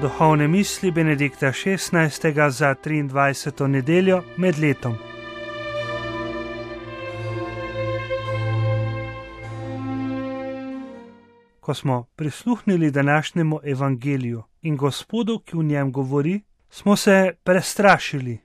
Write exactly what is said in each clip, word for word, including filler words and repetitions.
Duhovne misli Benedikta šestnajstega za triindvajseto nedeljo med letom. Ko smo prisluhnili današnjemu evangeliju in Gospodu, ki v njem govori, smo se prestrašili.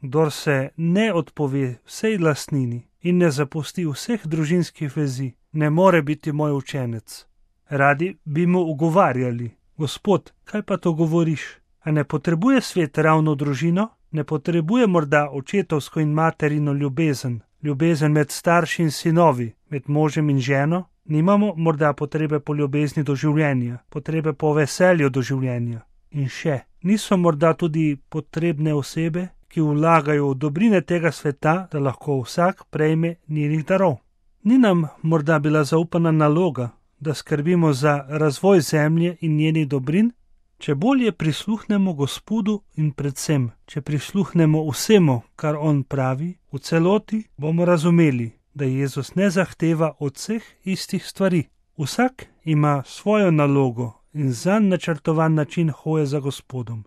Kdor se ne odpove vsej lastnini in ne zapusti vseh družinskih vezi, ne more biti moj učenec. Radi bi mu ugovarjali: Gospod, kaj pa to govoriš? A ne potrebuje svet ravno družino? Ne potrebuje morda očetovsko in materino ljubezen, ljubezen med starši in sinovi, med možem in ženo? Nimamo morda potrebe po ljubezni do življenja, potrebe po veselju do življenja? In še, niso morda tudi potrebne osebe, ki vlagajo v dobrine tega sveta, da lahko vsak prejme njenih darov? Ni nam morda bila zaupana naloga, da skrbimo za razvoj zemlje in njenih dobrin? Če bolje prisluhnemo Gospodu in predvsem, če prisluhnemo vsemu, kar on pravi, v celoti bomo razumeli, da Jezus ne zahteva od vseh istih stvari. Vsak ima svojo nalogo in zanj načrtovan način hoje za Gospodom.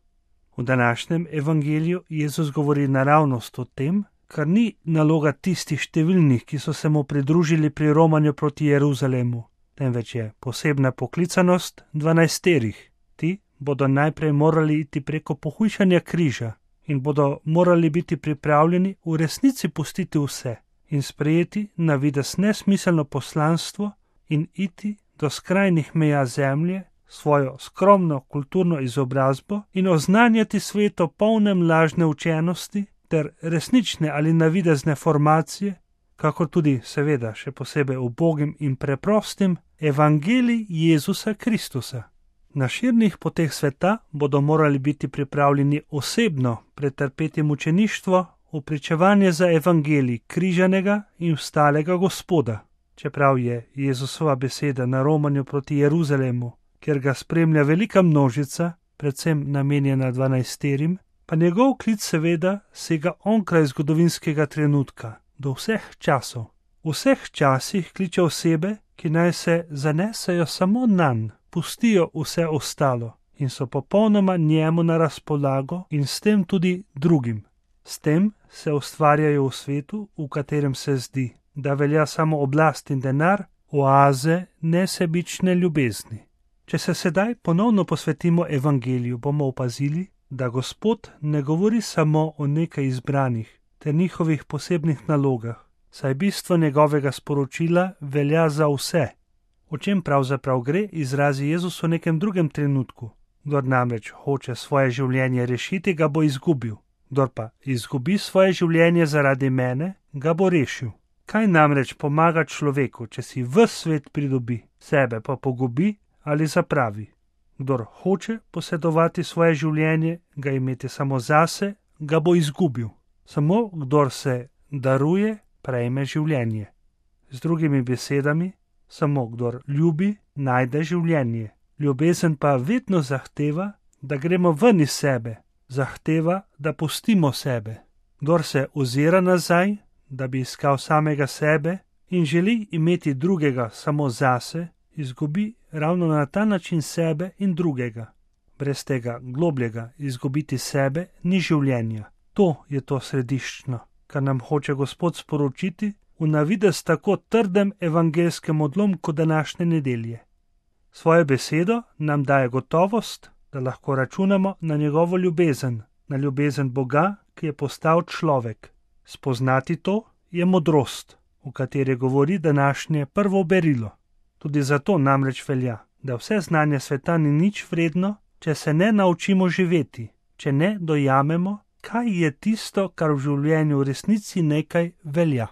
V današnjem evangeliju Jezus govori naravnost o tem, kar ni naloga tistih številnih, ki so se mu pridružili pri romanju proti Jeruzalemu, temveč je posebna poklicanost dvanajsterih. Ti bodo najprej morali iti preko pohujšanja križa in bodo morali biti pripravljeni v resnici pustiti vse in sprejeti na videz nesmiselno poslanstvo in iti do skrajnih meja zemlje, svojo skromno kulturno izobrazbo in oznanjati svetu polnem lažne učenosti ter resnične ali navidezne formacije, kakor tudi seveda še posebej ubogim in preprostim evangelij Jezusa Kristusa. Na širnih poteh sveta bodo morali biti pripravljeni osebno pretrpeti mučeništvo v pričevanje za evangelij križanega in vstalega Gospoda. Čeprav je Jezusova beseda na romanju proti Jeruzalemu, kjer ga spremlja velika množica, predvsem namenjena dvanajsterim, pa njegov klic seveda sega onkraj zgodovinskega trenutka, do vseh časov. V vseh časih kliče osebe, ki naj se zanesejo samo nanj, pustijo vse ostalo in so popolnoma njemu na razpolago in s tem tudi drugim. S tem se ustvarjajo v svetu, v katerem se zdi, da velja samo oblast in denar, oaze nesebične ljubezni. Če se sedaj ponovno posvetimo evangeliju, bomo opazili, da Gospod ne govori samo o nekaj izbranih ter njihovih posebnih nalogah, saj bistvo njegovega sporočila velja za vse. O čem pravzaprav gre, izrazi Jezus v nekem drugem trenutku. Kdor namreč hoče svoje življenje rešiti, ga bo izgubil. Kdor pa izgubi svoje življenje zaradi mene, ga bo rešil. Kaj namreč pomaga človeku, če si ves svet pridobi, sebe pa pogubi ali zapravi? Kdor hoče posedovati svoje življenje, ga imeti samo zase, ga bo izgubil. Samo kdor se daruje, prejme življenje. Z drugimi besedami, samo kdor ljubi, najde življenje. Ljubezen pa vedno zahteva, da gremo ven iz sebe, zahteva, da pustimo sebe. Kdor se ozira nazaj, da bi iskal samega sebe in želi imeti drugega samo zase, izgubi ravno na ta način sebe in drugega. Brez tega globljega izgubiti sebe ni življenja. To je to središčno, kar nam hoče Gospod sporočiti v navidez tako trdem evangelskem odlomku današnje nedelje. Svojo besedo nam daje gotovost, da lahko računamo na njegovo ljubezen, na ljubezen Boga, ki je postal človek. Spoznati to je modrost, v kateri govori današnje prvo berilo. Tudi zato namreč velja, da vse znanje sveta ni nič vredno, če se ne naučimo živeti, če ne dojamemo, kaj je tisto, kar v življenju v resnici nekaj velja.